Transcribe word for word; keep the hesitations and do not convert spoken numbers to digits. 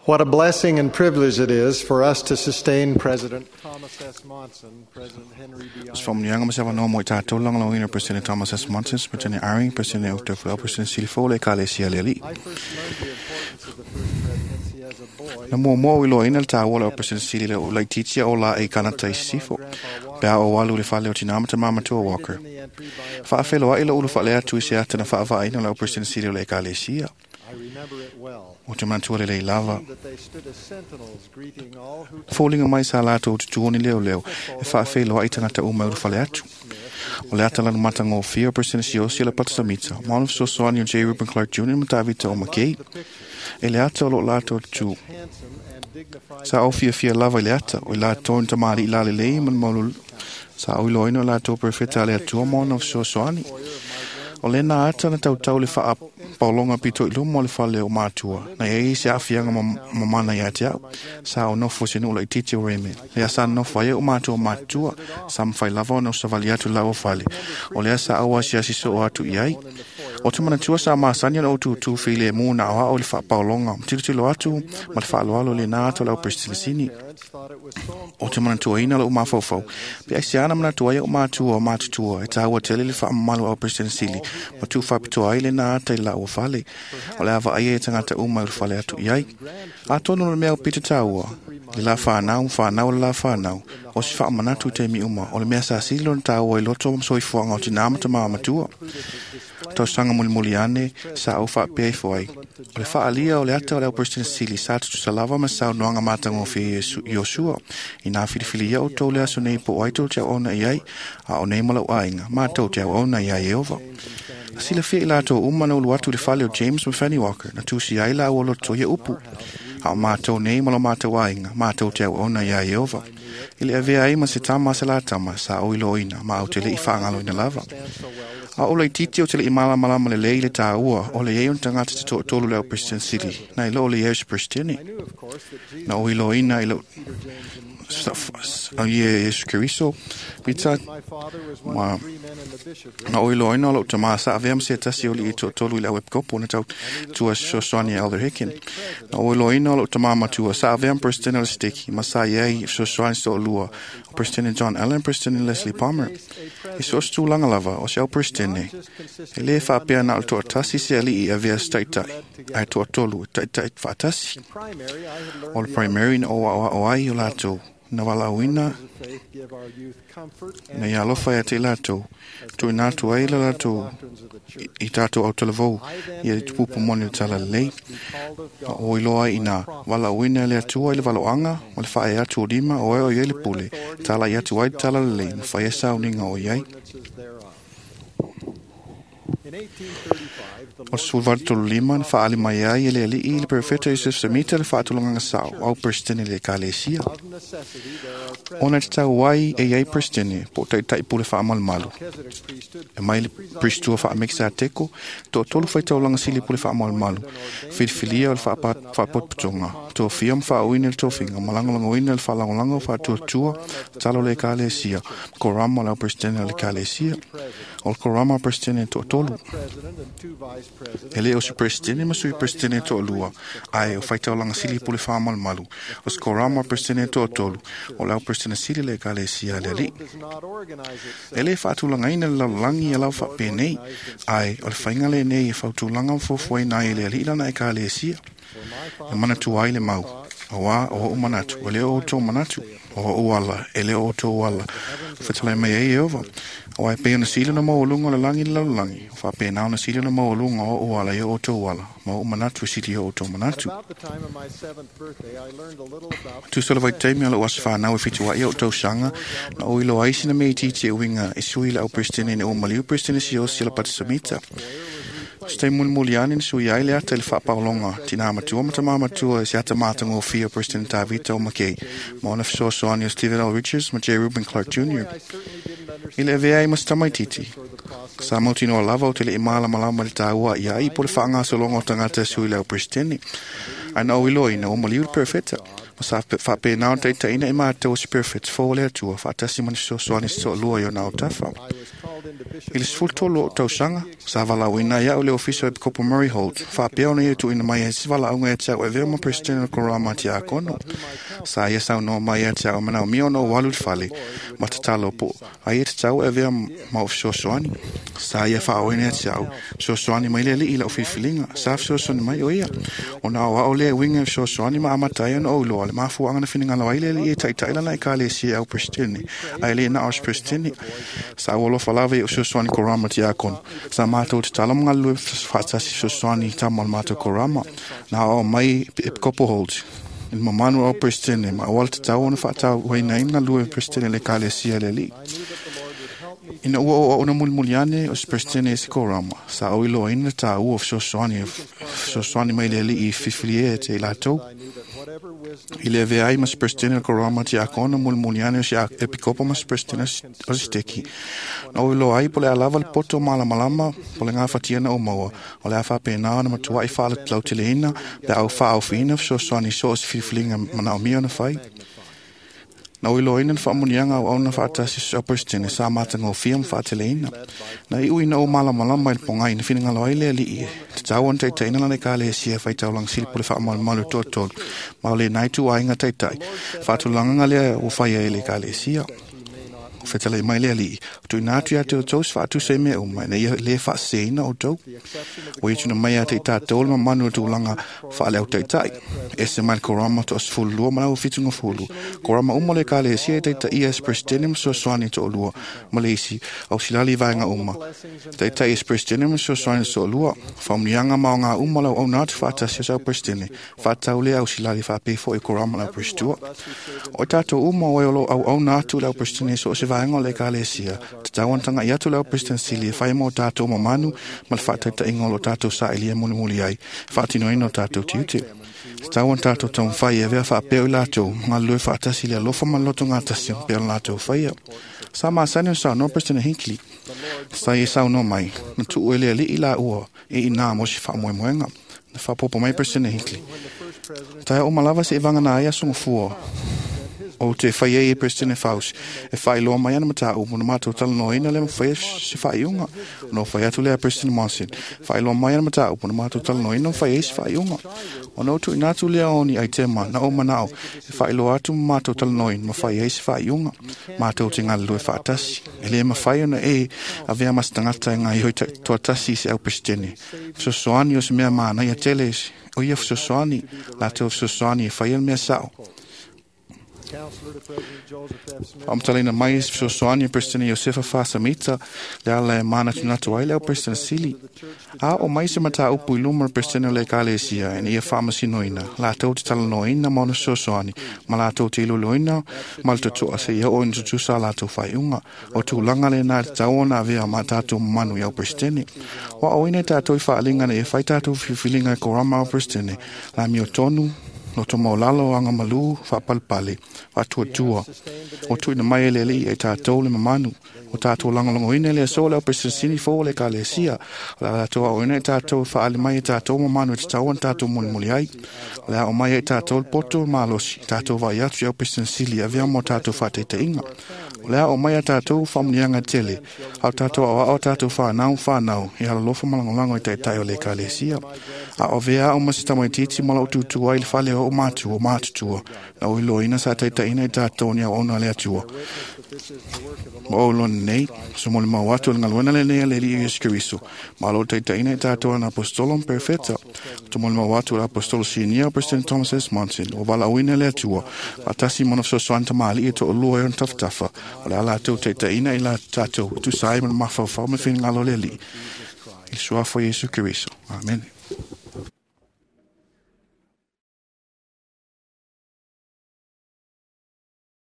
What a blessing and privilege it is for us to sustain President Thomas S. Monson, President Henry B. Se faamanuiaga ma se avanoa mo i tatou lagolagoina President Thomas S. Monson, President Eyring, President Uchtdorf, President Silifo le Ekalesia le Alii. I first learned the importance of the First Presidency as a boy. Na muamua o iloaina le tāua le au President Sili le laitiiti o la e kanata i sisifo. Pe a o alu le fale o tina ma tamā matua Walker. In the entry by a Faafeloai lo ulu faale atu i se ata na faavaaina le au President Sili o le Ekalesia. I remember it well. O te manatua lelei lava. That they stood as sentinels greeting all who Foliga mai sa latou tutuoni leo leo e faafeloai tagata uma i ulu fale atu. O le ata lanu matagofie o President Siaosi o le Patasamita, ma ona fesoasoani o J. Reuben Clark Junior ma Tavita o McKay. E le ata o loo latou tutu handsome and dignified sa au fiafia lava i le ata o i latou ni tamalii lalelei ma le maulolo. Sa au iloaina o latou perofeta a le Atua ma ona fesoasoani. O lena ata na tautau le faapaologa pito i luma o le fale o matua. Na iai se aafiaga mamana ia te au. Sa o nofo se nuu laitiiti o Raymond. Lea sa nofo ai o matua matutua. Sa mawhai lava ona o savali atu lau o fale. O lea sa au asiasi soo atu i ai. O te manatua sa masani ona o tutu file mu na oa o le faapaologa. Tilotilo atu ma le faaloalo le nā ata o lau President parents thought it was so O te manatuaina lou mafaufau. Pe ai se ana manatua ai o matua o matutua e tāua tele le faamamalu au President Sili. Ma tu faapitoa ai le nā ata i lau fale. O le ava ai e tangata uma i le fale atu i ai. Atonu le mea o pita tāua. Le la whanau, whanau le la whanau. O se faamanatu te mi uma. O le mea sa sili lona tāua i loto ma soifuaga o tinā ma tamā matua. Tausaga mulimuli ane sa au faapea ifo ai. O le faalia o le ata o le au President Sili sa tutusa lava ma saunoaga matagofie Iosua. I nā filifili ia o tou le aso nei po o ai tou te auauna i ai, a o nei ma lau aiga, matou te auauna iā Ieova. Na silafia i latou uma na ulu atu i le fale o James ma Fanny Walker, na tusi ai laua loto ia upu. A o matou nei ma lo matou aiga, matou te auauna iā Ieova. I le avea ai ma se tama a se la tama, sa o iloaina, ma au te le'i faagaloina lava. A o laitiiti o te le'i malamalama lelei le tāua, o le iai o ni tagata te toatolu le au President Sili, na i loo le iai o se Presideni. I knew, of course, that Jesus, Na o iloaina i lau Peter, James, and au ie Iesu Keriso, pita my father was one ma of three men in the bishopric. na o iloaina o lou tamā sa avea ma se tasi o li'i toatolu i le au epikopo na tau tua fesoasoani e Elder Hicken. Na o iloaina o lou tamā matua sa avea ma President o le Steki ma sa iai fesoasoani se toalua o President John Allen, President Leslie Palmer. I so o se tulaga lava o se au President e lē faapea na o le toatasi se alii e avea se taitai, ae toatolu e taitai faatasi. In primary, I had O learned le the primary na o aoao ai o latou na valaauina of faith give our youth comfort na and ia alofa ia te i latou, tuuina atu ai le latou doctrines of the church. i tatou autalavou ia tupupu moni o le talalelei. Be called of Na God o iloa ai ina valaauina le Atua i le valoaga ma le faaea atu o lima o e o iai le pule, tala i atu ai le talalelei ma faia sauniga o iai. ordinances thereof. In eighteen thirty-five, the O le Lord sefulu valu tolu lima na faaali mai ai e le alii le perofeta Iosef Semita le faatulagaga sao au Presideni le Ekalesia. of necessity there are Ona presidents. te tau ai e iai Presideni po o taitai pule faamalumalu. Melchizedek priesthood E mai le pristua faamekisa teko, toatolu faitaulaga sili pule faamalumalu. Filifilia o le faapa- faapotopotoga, tofia ma faauina le tofiga, ma lagolagoina le faalagolago faatuatua, talo le Ekalesia, korama o le au Presideni o le Ekalesia. O le korama o Presideni toatolu. president and two vice presidents. E le o se Presideni ma sui Presideni toalua, ae o faitaulaga sili pule faamalumalu. O se korama o Presideni toatolu, o le au Presideni sili le Ekalesia a le Alii. Does not organize itself. E le faatulagaina le lalolagi ia lau faapenei, ae o le faiga lenei e fautulaga ma fuafuaina ai e le alii lana Ekalesia. E manatua ai le mau, auā o o'u manatu, e le o outou manatu, o o'u ala, e le o outou ala. Fetalai mai ai Ieova, auā e pei ona sili ona maualuga o le lagi i le lalolagi, o faapena ona sili ona maualuga o o'u ala i o outou ala, ma o'u manatu e sili i o outou manatu. About the time of my seventh birthday, I learned a little about Tusa o le vaitaimi o lou aso whanau e whitua i o tausaga, na o iloa ai sina mea itiiti e uiga e sui le au Presideni na o maliu Presideni Siaosi o le Patasamita. Se taimi mulimuli ane na sui ai le ata i le faapaologa, tinā matua ma tamā matua e se ata matagofie o President Tavita o McKay, ma ona fesoasoani o Stephen L. Richards ma J. Reuben Clark Junior I certainly didn't I le avea ai ma se tamaitiiti. Sa mautinoa lava o te le'i malamalama le tāua ia ai po le faagasologa o tagata e sui le au Presideni. Ae na ou iloaina ua maliu le perofeta. Ma sa faapena ona taitaiina i matou o se perofeta fou o le Atua, faatasi ma ni fesoasoani se toalua i ona autafa. I was called I le sefulu tolu o tausaga, sa valaauina ai au le ofisa o Epikopo Murray Holt, faapea ona ia tuuina mai ai se valaauga ia te au e avea ma Peresetene o le Korama Tiakono. Sa ia saunoa mai ia te au e manaomia ona ou alu i le fale, ma tatalo po ai e tatau e avea ma ou fesoasoani. Sa ia faaoina ia te au, fesoasoani mai le Alii i lau filifiliga, sa fesoasoani mai o ia. Ona aoao lea e uiga i fesoasoani ma amata ai ona ou iloa le mafuaaga na finagalo ai le Alii e taitai lana ekalesia e au Peresetene, ae le na o se Peresetene. Sa ou alofa lava i ou fesoasoani korama tiakono. Sa matou tatalo ma galulue faatasi fesoasoani i tama o le matou korama. Na aoao mai Epikopo Holt i le mamalu o au Peresetene ma auala tatau ona faatauaina ai ma galulue Peresetene le ekalesia a le Alii. Ina ua ou auauna mulimuli ane o se Peresetene i se korama, sa ou iloaina le taua o fesoasoani fesoasoani mai le Alii i filifilia e te i latou. I le avea ai ma se Peresetene o le korama tiakono mulimuli ane o se epikopo ma se Peresetene o se steki. Na ou iloa ai po o le a lava le poto malamalama po o le gafatia na ou maua, o le a faapena ona matuai faalalauteleina pe a ou faaofiina fesoasoani i so o se filifiliga manaomia ona fai. Na ou iloaina le faamuniaga auauna faatasi o Peresetene sa matagofie ma faateleina. Na iu ina ou malamalama i le pogai na finagalo ai le Alii e tatau ona taitaiina lana ekalesia e faitaulaga sili po o le faamalumalu e toatolu, ma o lenā ituaiga taitai faatulagaga lea ua faia e le ekalesia. O fetalai mai le Alii, o tuuina atu ia te outou se faatusa i mea uma, ina ia lē faaseseina outou. Ua ia tuuina mai ia te i tatou le mamalu o le tulaga faale-autaitai, ese mai le korama toasefululua ma le aufitugafulu, korama uma o le ekalesia e taitaia e se Peresetene ma fesoasoani toalua ma le isi ausilali i vaega uma. Taitai e se Peresetene ma fesoasoani toalua, faamanuiaga ma aoga uma o le auauna atu faatasi o se au Peresetene, faatatau lea ausilali faapea foi i korama o le au Peresetua. O i tatou uma o e o lo o auauna atu i le au Peresetene i so o se vaega o le ekalesia, tatau ona taga'i atu le au Peresetene sili e fai mo tatou mamanu ma le faataitaiga o lo o tatou sailiia mulimuli ai, faatinoina o tatou tiute. Tatau ona tatou taumafai e avea faapea o i latou, ma galulue faatasi i le alofa ma le lotogatasi ma pea o le latou faia. Sa masani ona saunoa Peresetene Hinckley. Sa ia saunoa mai, na tuu e le Alii laua e inā mo se faamoemoega. Na faapopo mai Peresetene Hinckley. Taea uma lava seia vagana ai aso gafua ou te fai ai e Peresetene Faust e faailoa mai ana mataupu na matou talanoaina le mafai ai se faaiuga. Ona ou fai atu lea Peresetene Monson, faailoa mai ana mataupu na matou talanoaina mafai ai se faaiuga. Ona ou tuuina atu lea o ni aitema na ou manao e faailoa atu ma matou talanoaina mafai ai se faaiuga. Matou te galulue faatasi. E lē mafai ona e avea ma se tagata e gaoioi toatasi i se au Peresetene. Fesoasoani o se mea manaia tele o ia fesoasoani, latou fesoasoani e faia le mea sao. Faamatalaina mai se fesoasoani a Peresetene Iosefa Fasamita, le ala e manatunatu ai le au Peresetene sili. A oo mai se mataupu i luma o le Peresetene o le ekalesia ina ia faamasinoina, latou te talanoaina ma ona fesoasoani, ma latou te iloiloina ma le totoa seia oo ina tutusa a latou faaiuga. O tulaga lenā e tatau ona avea ma tatou mamanu i au Peresetene. Ua aoina e tatou i faaaliga ina ia fai tatou filifiliga e korama au Peresetene, lamiotonu, loto maualalo, agamalu, faapalepale, faatuatua. Ua tuuina mai e le Alii ia i tatou le mamanu. Ua tatou lagolagoina i le aso o le au Peresetene fou o le ekalesia. O le a latou aoina i tatou e faaali mai e tatou mamanu e tatau ona tatou mulimuli ai. O le a oo mai ia i tatou le poto malosi, tatou vaai atu i au Peresetene sili e avea mo tatou faataitaiga. O le a oo mai ia tatou faamanuiaga tele, a o tatou aoao a tatou fanau ma fanau e alolofa ma lagolago i taitai o le ekalesia. A o avea au ma se tamaitiiti ma lou tutu ai i le fale o ou matua matutua, na ou iloaina sa taitaiina i tatou ni auauna a le Atua. Ma ou iloa nei, se molimau atu o le galuega lenei a le Alii Iesu Keriso, ma o lo o taitaiina i tatou ana aposetolo ma perofeta. O te molimau atu o le aposetolo sinia o President Thomas S. Monson, ua valaauina e le Atua, faatasi ma ona fesoasoani tamalii e toalua e ona tafatafa, o le a latou taitaiina i la tatou e tusa ai ma le mafaufau ma le finagalo o le Alii, i le suafa o Iesu Keriso. Amene.